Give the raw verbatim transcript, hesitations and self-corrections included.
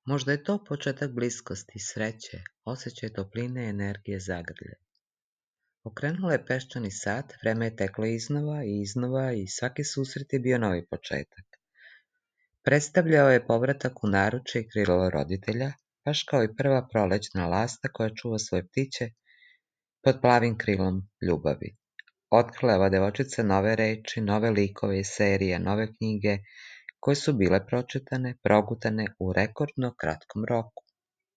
Možda je to početak bliskosti, sreće, osjećaj topline i energije zagrlje. Okrenula je peščani sat, vreme je teklo iznova i iznova i svaki susret je bio novi početak. Predstavljao je povratak u naručje i krilo roditelja, baš kao i prva prolećna lasta koja čuva svoje ptiće pod plavim krilom ljubavi. Otkrila je ova devojčica nove reči, nove likove i serije, nove knjige, koje su bile pročitane, progutane u rekordno kratkom roku.